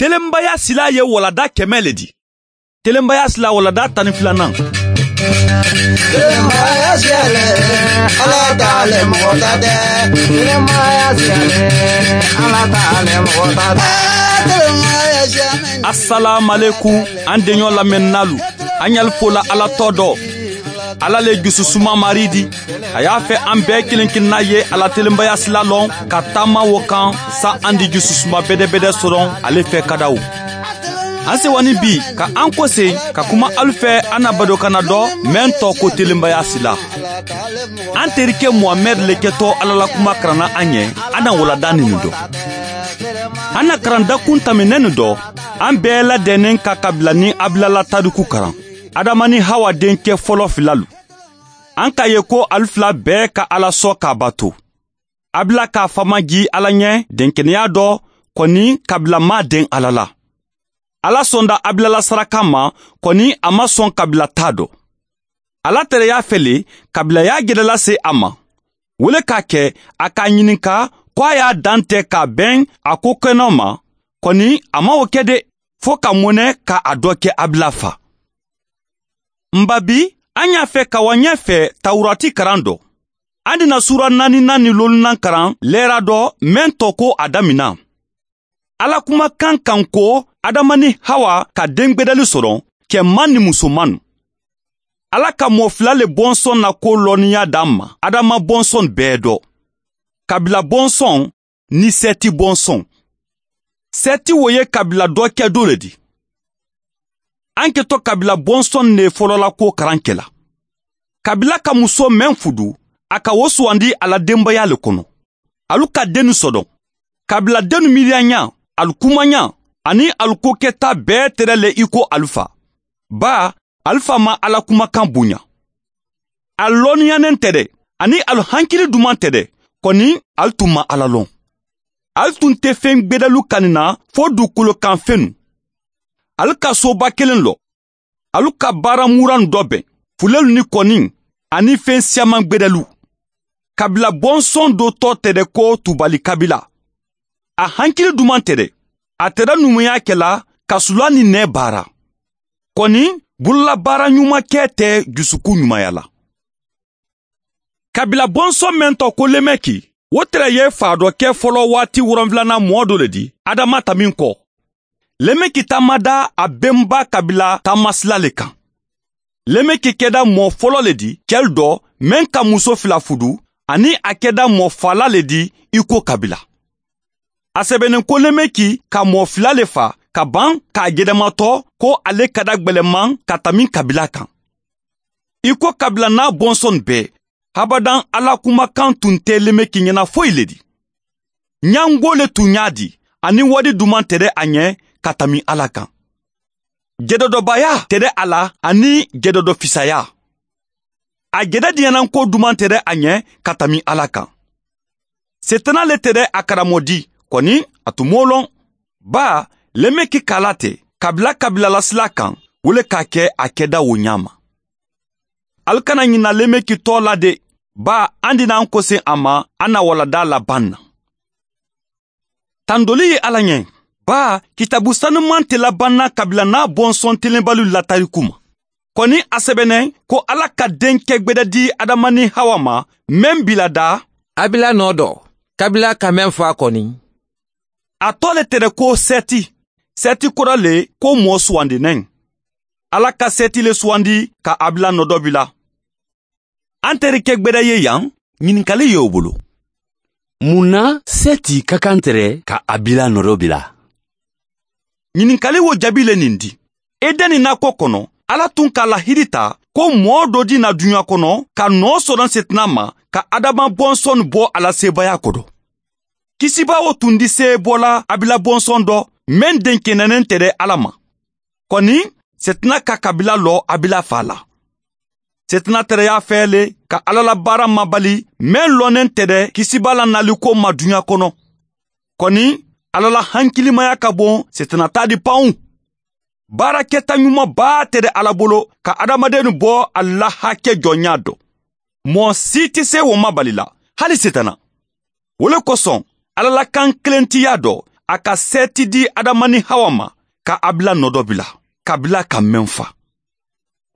Telenbaya sila ye walada 100 le di. Telenbaya sila walada 12nan. Telenbaya siyale, Ala t'ale mɔgɔ ta tɛ. Telenbaya siyale, Ala t'ale mɔgɔ ta tɛ. Telenbaya siyale. Assalamu alaikum, an deɲɔ lamɛnnalu. An y'al fola Ala tɔ dɔ. Ala le jususuma mari di. A y'a fɛ an bɛɛ kelen kelenna ye Ala telenbaya sila lɔn ka taama wo kan sa an di jususuma bɛdɛbɛdɛ sɔrɔ ale fɛ kadaw. An sewani bi ka an kɔse ka kuma alu fɛ an na badokana dɔ mɛn tɔ ko telenbaya sila. An terikɛ Mohamɛd le kɛtɔ Ala la kuma karanna an ɲɛ, an na walada nin dɔ. An na karandakun taminɛ nin dɔ, an bɛɛ ladɛnnen ka kabila ni Abilala tariku karan. Adama ni Hawa denkɛ fɔlɔ filalu. An k'a ye ko alu fila bɛɛ ka Ala sɔn k'a bato. Abila k'a fama ji Ala ɲɛ denkɛnɛya dɔ kɔni kabila ma den Ala la. Ala sɔnda Abila la saraka ma kɔni a ma sɔn kabila ta dɔ. Ala tɛrɛ y'a fɛ le kabila y'a gɛlɛla se a ma. Wele k'a kɛ a k'a ɲininka ko a y'a dan tɛ k'a bɛn a ko kɛnɛ ma kɔni a ma o kɛ de fo ka mɔnɛ ka a dɔ kɛ Abila fa. Nba bi an y'a fɛ ka wa ɲɛfɛ Tawurati karan dɔ. An dina sura 4nan ni 5nan karan lɛra dɔ mɛn tɔ ko a damina. Ala kumakan kan ko Adama ni Hawa ka den gbɛdɛli sɔrɔ cɛman ni musoman. Ala ka mɔ fila le bɔnsɔn na ko lɔnniya d'an ma Adama bɔnsɔn bɛɛ dɔ. Kabila bɔnsɔn ni Sɛti bɔnsɔn. Sɛti wo ye kabila dɔ kɛ do le di. An kɛtɔ kabila bɔnsɔn ne fɔlɔla ko karan kɛla. Kabila ka muso mɛn fudu, a ka wo sugandi a la denbaya le kɔnɔ. Alu ka dennu sɔdɔn. Kabila dennu miiriya alu kumanya ani alu ko kɛta bɛɛ tɛrɛ le i ko alu fa. Ba, alu fa ma Ala kumakan bonya. A lɔnniyanen tɛ dɛ, ani alu hankili duman tɛ dɛ, kɔni alu tun ma Ala lɔn. Alu tun tɛ fɛn gbɛdɛlu kanina fo dugukolo kan fɛnnu. Alu ka soba kelen lɔ. Alu ka baara muran dɔ bɛn, fulelu ni kɔni ani fɛn siaman gbɛdɛlu. Kabila bɔnsɔn dɔ tɔ tɛ dɛ ko Tubali kabila. A hankili duman tɛ dɛ. A tɛrɛ numuya kɛla ka sula ni nɛ baara. Kɔni bolola baara ɲuman kɛ tɛ dusukun ɲumanya la. Kabila bɔnsɔn mɛn tɔ ko Lemɛki, o tɛrɛ ye fa dɔ kɛ fɔlɔ waati 7nan mɔɔ dɔ le di, Adama ta min kɔ. Lemɛki taama da a bɛnba kabila taamasila le kan. Lemɛki kɛda mɔɔ fɔlɔ le di, cɛl dɔ mɛn ka muso fila fudu, ani a kɛda mɔɔ fala le di i ko kabila. A sɛbɛnnen ko Lemɛki ka mɔɔ fila le fa ka ban k'a gɛdɛmatɔ ko ale ka da gwɛlɛman ka tami kabila kan. I ko kabila n'a bɔnsɔn bɛɛ, habadan Ala kumakan tun tɛ Lemɛki ɲɛna foyi le di. Ɲango le tun y'a di, ani wadi duman tɛ dɛ a ɲɛ ka tami Ala kan. Gɛdɛdɔbaya tɛ dɛ a la ani gɛdɛdɔfisaya. A gɛdɛ diɲɛnanko duman tɛ dɛ a ɲɛ ka tami Ala kan. Setana le tɛ dɛ a karamɔdi, kɔni a tun m'o lɔn. Ba, Lemɛki kala tɛ, kabila kabila la sila kan, wo le k'a kɛ a kɛda o ɲa ma. Alu kana ɲina Lemɛki tɔ la de, ba an dina an kɔse a ma an na walada laban na. Tandoli ye Ala ɲɛ. Ba, kitabu sanuman tɛ labanna kabila n'a bɔnsɔn telenbaliw la tariku ma. Kɔni a sɛbɛnɛ ko Ala ka denkɛ gbɛdɛ di Adama ni Hawa ma, mɛn bila da. Abila nɔ dɔ, kabila ka mɛn fa kɔni. A tɔ le tɛrɛ ko Sɛti. Sɛti kɔrɔ le ko mɔɔ sugandinɛ. Ala ka Sɛti le sugandi ka Abila nɔ dɔ bila. An terikɛ gbɛdɛ ye yan, ɲininkali ye o bolo. Mun na Sɛti ka kan tɛrɛ ka Abila nɔ dɔ bila? Ɲininkali wo jaabi le nin di. Edɛni nakɔ kɔnɔ, Ala tun ka lahidi ta ko mɔɔ dɔ di na duɲa kɔnɔ ka nɔ sɔrɔ Setina ma ka Adama bɔnsɔn bɔ a la sebaaya kɔrɔ. Kisibawo tun di se bɔla Abila bɔnsɔn dɔ mɛn den kɛnɛnen tɛ dɛ Ala ma. Kɔni Setina ka kabila lɔ Abila fa la. Setina tɛrɛ y'a fɛ le ka Ala la baara mabali mɛn lɔnnen tɛ dɛ kisiba la naliko ma duɲa kɔnɔ. Kɔni Ala la hankilimaya ka bon Setina ta di panw. Baarakɛta ɲumanba tɛ dɛ Ala bolo ka adamaden bɔ a la hakɛ jɔnya dɔ. Mɔɔ si tɛ se o mabali la, hali Setana. O le kosɔn Ala la kan kelentiya dɔ, A ka Sɛti di Adama ni Hawa ma ka Abila nɔ dɔ bila, kabila ka mɛn fa.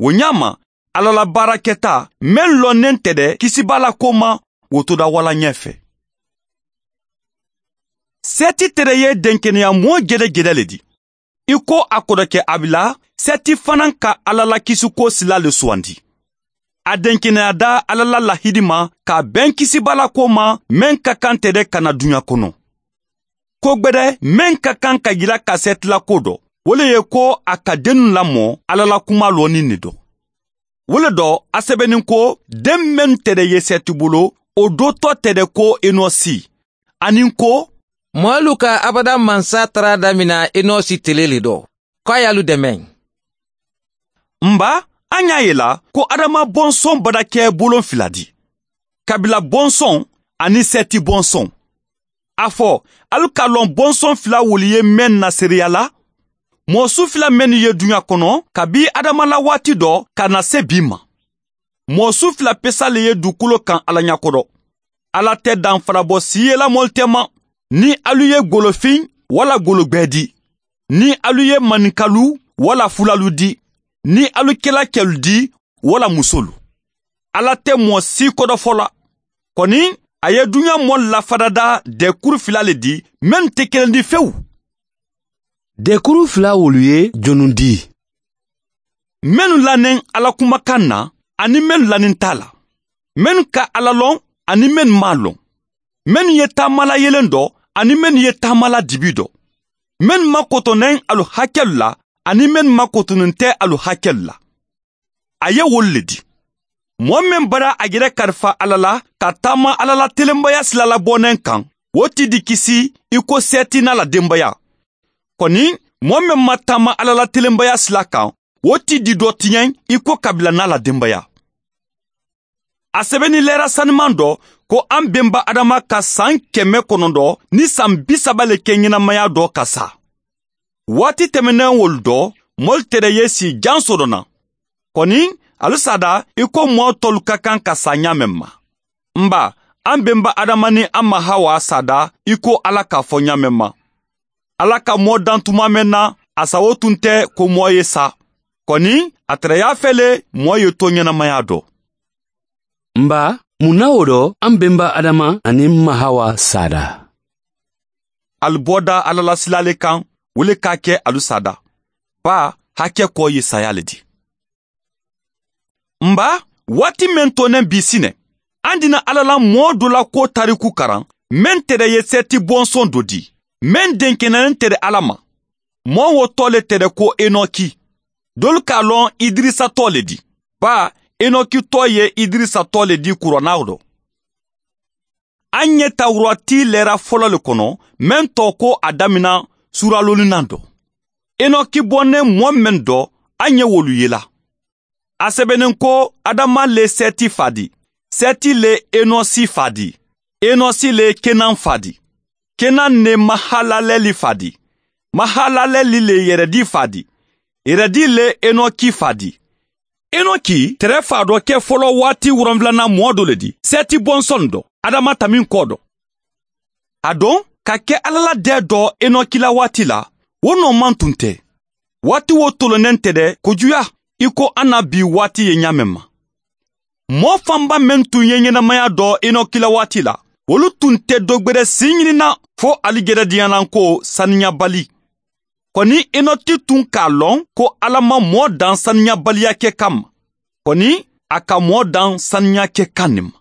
O ɲa ma, Ala la baarakɛta mɛn lɔnnen tɛ dɛ kisiba la ko ma, o toda wala ɲɛfɛ. Sɛti tɛrɛ ye denkɛnɛya mɔɔ jɛdɛjɛdɛ le di. I ko a kɔrɔkɛ Abila, Sɛti fana ka Ala la kisiko sila le sugandi. A denkɛnɛya da Ala la lahidi ma k'a bɛn kisiba la ko ma mɛn ka kan tɛ dɛ ka na duɲa kɔnɔ. Ko gbɛdɛ mɛn ka kan ka yira ka Sɛti la ko dɔ, o le ye ko a ka dennu lamɔ Ala la kuma lɔnni ne dɔ. O le dɔ a sɛbɛnnin ko den mɛn tɛ dɛ ye Sɛti bolo, o do tɔ tɛ dɛ ko Enɔsi. Ani ko Mɔlu ka abada mansa tara damina Enɔsi tele le dɔ, k'a y'alu dɛmɛ. Nba, an y'a ye la ko Adama bɔnsɔn bada kɛ bolon fila di. Kabila bɔnsɔn ani Sɛti bɔnsɔn. A fɔ, alu k'a lɔn bɔnsɔn fila wolu ye mɛn na seereya la? Mɔɔ su fila mɛnnu ye duɲa kɔnɔ kabi Adama la waati dɔ ka na se bi ma. Mɔɔ su fila pesa le ye dugukolo kan Ala ɲɛkɔrɔ. Ala tɛ danfara bɔ si ye la mɔli tɛ ma. Ni alu ye golofin wala gologbɛ di, ni alu ye maninkalu wala fulalu di, ni alu kɛla kɛlu di wala musolu. Ala tɛ mɔɔ si kɔdɔfɔ la. Kɔni, a ye duɲa mɔɔ lafadada dɛkuru fila le di, mɛn tɛ kelen di fewu. Dɛkuru fila wolu ye jɔnnu di? Mɛnnu lanen Ala kumakan na, ani mɛnnu lanen t'a la. Mɛnnu ka Ala lɔn, ani mɛnnu m'a lɔn. Mɛnnu ye taamala yelen dɔ, ani mɛnnu ye taamala dibi dɔ. Mɛnnu makotɔnnen alu hakɛlu la, ani mɛnnu makotonnen tɛ alu hakɛlu la. A ye wolu le di. Mɔɔ min bara a yɛrɛ kalifa Ala la ka taama Ala la telenbaya sila labɔnnen kan, o ti di kisi i ko Sɛti n'a la denbaya. Kɔni, mɔɔ min ma taama Ala la telenbaya sila kan, o ti di dɔ tiɲɛ i ko kabila n'a la denbaya. A sɛbɛnni lɛra saniman dɔ ko an benba Adama ka san 930 le kɛ ɲɛnamaya dɔ ka sa. Waati tɛmɛnen wolu dɔ, mɔli tɛrɛ ye si jan sɔrɔ na. Kɔni, alu sada i ko mɔɔ tɔlu ka kan ka sa ɲa mɛn ma. Nba, an benba Adama ni an ma Hawa sada i ko Ala k'a fɔ ɲa mɛn ma. Ala ka mɔɔ dan tuma mɛn na, a sago tun tɛ ko mɔɔ ye sa. Kɔni, a tɛrɛ y'a fɛ le mɔɔ ye to ɲɛnamaya dɔ. Nba, mun na o dɔ an benba Adama ani ma Hawa sada? Alu bɔda Ala la sila le kan, o le k'a kɛ alu sada. Ba, hakɛ kɔ ye saya le di. Nba, waati mɛn tonen bi sinɛ, an dina Ala la mɔɔ dɔ la ko tariku karan, mɛn tɛrɛ ye Sɛti bɔnsɔn dɔ di, mɛn denkɛnɛnen tɛrɛ Ala ma. Mɔɔ wo tɔ le tɛrɛ ko Enɔki. Dolu k'a lɔn Idirisa tɔ le di. Ba, Enɔki tɔ ye Idirisa tɔ le di kuranna dɔ. An ye Tawurati lɛra fɔlɔ le kɔnɔ, mɛn tɔ ko a damina suralolinan dɔ. Enɔki bɔnnen mɔɔ mɛn dɔ, an ye wolu ye la. A sɛbɛnnen ko Adama le Sɛti fa di, Sɛti le Enɔsi fa di, Enɔsi le Kenan fa di, Kenan ne Mahalalɛli fa di, Mahalalɛli le Yɛrɛdi fa di, Yɛrɛdi le Enɔki fa di. Enɔki tɛrɛ fa dɔ kɛ fɔlɔ waati 7nan mɔɔ dɔ le di, Sɛti bɔnsɔn dɔ, Adama tamin kɔ dɔ. A don ka kɛ Ala la dɛ dɔ Enɔki la waati la, o nɔ man tun tɛ. Waati wo tolonnen tɛ dɛ kojuya i ko an na bi waati ye ɲa mɛn ma. Mɔɔ fanba mɛn tun ye ɲɛnamaya dɔ Enɔki la waati la, olu tun tɛ dɔgbɛrɛ si ɲinina fo ali gɛrɛ diyanan ko saniyabali. Kɔni Enɔki tun k'a lɔn ko Ala ma mɔɔ dan saniyabaliya kɛ kama. Kɔni a ka mɔɔ dan saniya kɛ kan nin ma.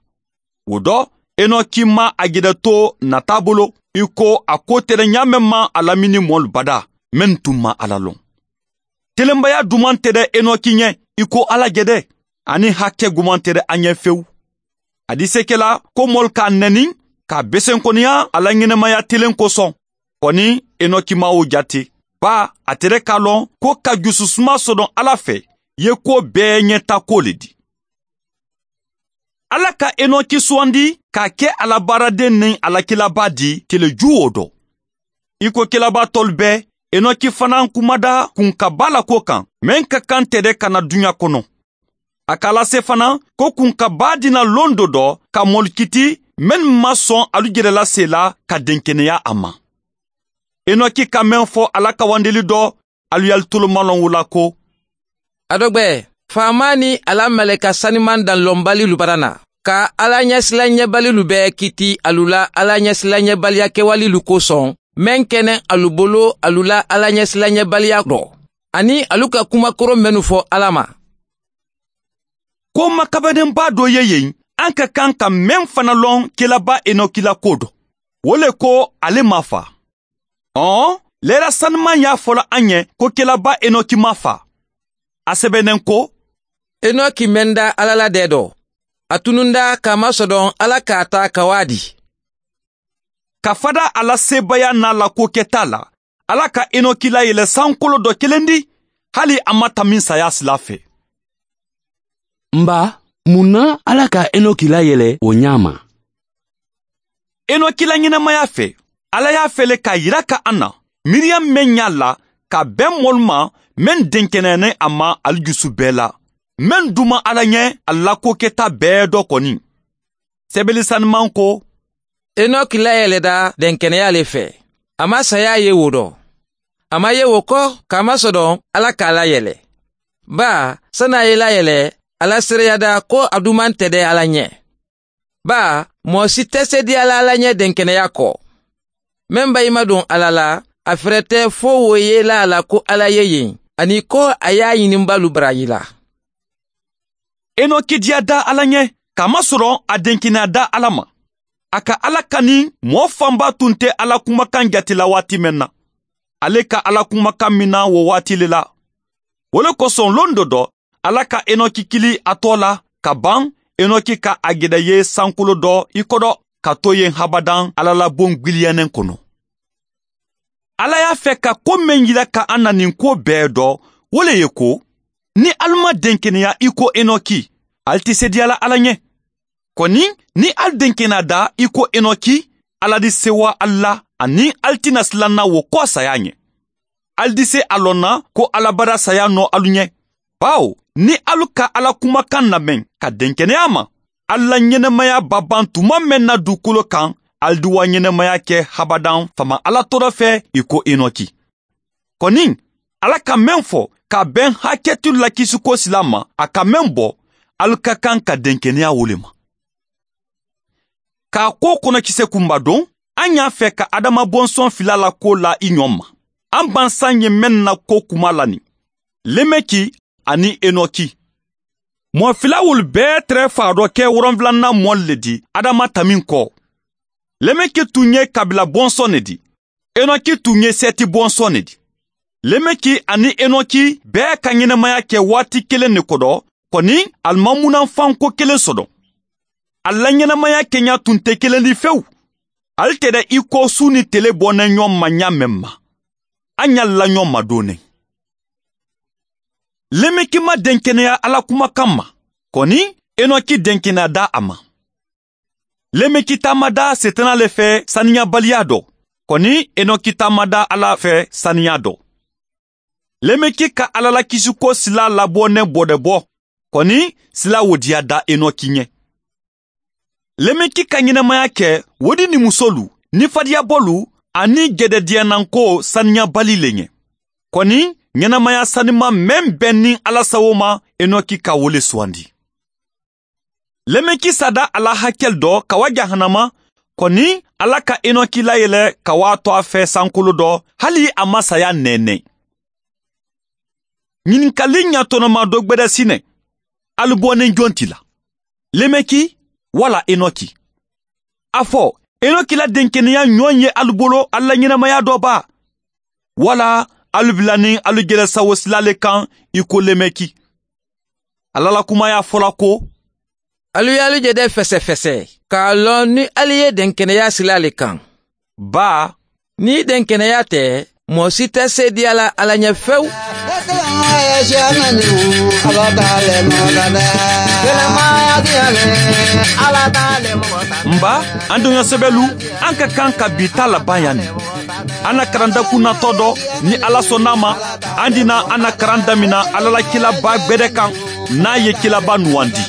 O dɔ, Enɔki ma a gɛrɛ to nata bolo i ko a ko tɛrɛ ɲa mɛn ma a lamini mɔlu bada mɛn tun ma Ala lɔn. Telenbaya duman tɛ dɛ Enɔki ɲɛ i ko Ala jɛdɛ, ani hakɛ guman tɛ dɛ an ɲɛ fewu. A di se kɛla ko mɔlu k'a nɛni k'a besenkɔniya a la ɲɛnɛmaya telen kosɔn. Kɔni Enɔki ma o jate. Ba, a tɛrɛ k'a lɔn ko ka jususuma sɔrɔ Ala fɛ ye ko bɛɛ ɲɛta ko le di. Ala ka Enɔki sugandi k'a kɛ a la baaraden ni a la kelaba di teleju o dɔ. I ko kelaba tɔlu bɛɛ, Enɔki fana kumada kunkaba la ko kan, mɛn ka kan tɛ dɛ ka na duɲa kɔnɔ. A k'a lase fana ko kunkaba dina lon dɔ dɔ ka mɔlikiti mɛn ma sɔn alu jɛrɛla se la ka denkɛnɛya a ma. Enoki ka mɛn fɔ ala ka wandeli dɔ alu y'alu tolomalɔn wo la ko Adɔgbɛ, faama ni ala mɛlɛka saniman danlɔnbalilu bara na ka ala ɲɛsilanɲɛbalilu bɛɛ kiti alu la ala ɲɛsilanɲɛbaliya kɛwalilu kosɔn mɛn kɛnɛ alu bolo alu la ala ɲɛsilanɲɛbaliya dɔ ani alu ka kumakoro mɛnnu fɔ ala ma. Ko makabɛnenba dɔ ye yen an ka kan ka mɛn fana lɔn kelaba Enoki la ko dɔ. O le ko ale ma fa. Lɛra sanuman y'a fɔla an ɲɛ ko kelaba Enoki ma fa. A sɛbɛnnen ko Enoki mɛnda ala la dɛ dɔ. A tununda k'a masɔdɔn ala k'a ta ka waa di. Ka fada ala sebaya n'a la ko kɛta la, ala ka Enoki layɛlɛ sankolo dɔ kelen di, hali a ma tamin saya sila fɛ. N ba, mun na ala ka Enoki layɛlɛ o ɲa ma? Enoki la ɲɛnamaya fɛ, ala y'a fɛlɛ k'a yira ka an na, miiriya mɛn y'a la ka bɛn mɔlu ma mɛn denkɛnɛyɛnɛ a ma ali jusu bɛɛ la. Mɛn duma ala ɲɛ a la ko kɛta bɛɛ dɔ kɔni. Sɛbɛli sanuman ko Enoki layɛlɛda dɛnkɛnɛya le fɛ. A ma saya ye wo dɔ. A ma ye wo kɔ k'a masɔdɔn ala k'a layɛlɛ. Ba, san'a ye layɛlɛ, ala seereyada ko a duman tɛ dɛ ala ɲɛ. Ba, mɔgɔ si tɛ se di ala ala ɲɛ dɛnkɛnɛya kɔ. Mɛn ba i ma don ala la, a fɛrɛ tɛ fo wo ye la a la ko ala ye yen, ani ko a y'a ɲininbalu baraji la. Enoki diya da ala ɲɛ, k'a masɔrɔ a denkɛnɛya da ala ma. A ka ala kani mɔɔ fanba tun tɛ ala kumakan jate la waati mɛn na. Ale ka ala kumakan min na o waati le la. O le kosɔn lon dɔ dɔ, ala ka Enoki kili a tɔ la ka ban Enoki ka a gɛdɛ ye sankolo dɔ i kɔdɔ ka to yen habadan ala la bon gwiliyanen kɔnɔ. Ala y'a fɛ ka ko mɛn yira ka an na nin ko bɛɛ dɔ, o le ye ko, ni alu ma denkɛnɛya i ko Enoki, ali tɛ se diyala ala ɲɛ. Kɔni ni alu denkɛnɛya da i ko Enoki, ala di sewa ali la ani ali tɛna silanna wo kɔ saya ɲɛ. Ali di se a lɔn na ko ala bara saya nɔ alu ɲɛ. Bawo ni alu ka ala kumakan lamɛn ka denkɛnɛya ma, alu la ɲɛnɛmaya ba ban tuma mɛn na dugukolo kan, alu di wa ɲɛnɛmaya kɛ habadan fama ala tɔɔrɔ fɛ i ko Enoki. Kɔni ala ka mɛn fɔ ka bɛn hakɛtu la kisiko sila ma, a ka mɛn bɔ, alu ka kan ka denkɛnɛya wo le ma. K'a ko kɔnɔkisɛ kunba don, an y'a fɛ ka Adama bɔnsɔn fila la ko la i ɲɔ ma. An bansan ye mɛn na ko kuma la nin. Lemeki ani Enoki. Mɔɔ fila wolu bɛɛ tɛrɛ fa dɔ kɛ 7nan mɔli le di Adama tamin kɔ. Lemeki tun ye kabila bɔnsɔn ne di. Enoki tun ye Sɛti bɔnsɔn ne di. Lemeki ani Enoki bɛɛ ka ɲɛnɛmaya kɛ waati kelen ne kɔdɔ, kɔni alimamunanfan ko kelen sɔdɔ. A la ɲɛnamaya kɛɲa tun tɛ kelen di fewu. Ale tɛ dɛ i ko su ni tele bɔnɛ ɲɔgɔn ma ɲa mɛn ma. An y'a la ɲɔgɔn ma donnen. Lemeki ma denkɛnɛya ala kumakan ma, kɔni Enoki denkɛnɛya da a ma. Lemeki taama da setana le fɛ saniyabaliya dɔ, kɔni Enoki taama da ala fɛ saniya dɔ. Lemeki ka ala la kisiko sila labɔnɛ bɔdɛbɔ, kɔni sila wodiya da Enoki ɲɛ. Lemeki ka ɲɛnamaya kɛ wodi ni musolu, ni fadiyabɔlu ani gɛdɛdiyananko saniyabali le ɲɛ. Kɔni ɲɛnamaya sanima mɛn bɛn ni ala sago ma Enoki ka wole suwandi. Lemeki sada ala hakɛl dɔ ka wa jahanama, kɔni ala ka Enoki layɛlɛ ka wa to a fɛ sankolo dɔ hali a ma saya nɛnɛ. Ɲininkali ɲatɔnɔma dɔ gbɛdɛ sinɛ, alu bɔnen jɔn ti la? Lemeki wala Enoki? A fɔ Enoki la denkɛnɛya ɲɔgɔn ye alu bolo ala ɲɛnamaya dɔ ba, wala alu bila ni alu gɛlɛ sawo sila le kan i ko Lemeki. Ala la kuma y'a fɔla ko Alu y'alu jɛdɛ fɛsɛfɛsɛ k'a lɔn ni alu ye denkɛnɛya sila le kan. Ba, ni denkɛnɛya tɛ, mɔgɔ si tɛ se diya la ala ɲɛ fewu. Nba, an donya sɛbɛlu, an ka kan ka bi ta laban yan nin. An na karandakun natɔ dɔ, ni ala sɔnn'a ma, an dina an na karan damina ala la kilaba gbɛdɛ kan, n'a ye kilaba nuwandi.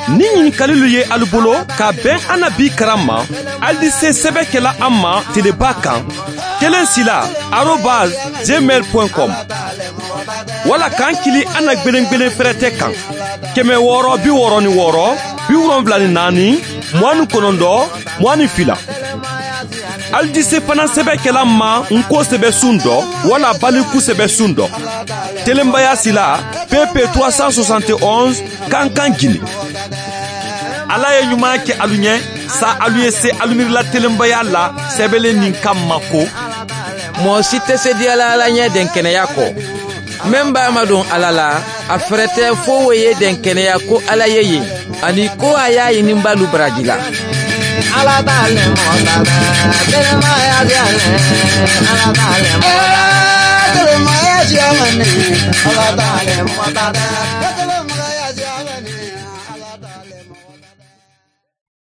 Ni ɲininkalilu ye alu bolo ka bɛn an na bi karan ma, alu di se sɛbɛ kɛla an ma teleba kan, 1sila@gmail.com wala k'an kili an na gwelen fɛrɛtɛ kan 666 74 29 22. Alu di se fana sɛbɛ kɛla ma n ko sɛbɛ sun dɔ wala baliku sɛbɛ sun dɔ. Telenbaya sila PP 371 Kankan Guinée. Ala ye ɲuman kɛ alu ɲɛ sa alu ye se alu miirila telenbaya la sɛbɛnlen nin kan ma ko mɔgɔ si tɛ se diyala Ala ɲɛ dɛnkɛnɛya kɔ. Min b'a madon Ala la, a fɛrɛ tɛ fo o ye dɛnkɛnɛya ko Ala ye yen, ani ko a y'a ɲininbalu baraji la. Ala t'ale mɔgɔ ta tɛ, kelenmaya siyalen, Ala t'ale mɔgɔ ta tɛ. Kelenmaya siyalen, Ala t'ale mɔgɔ ta tɛ.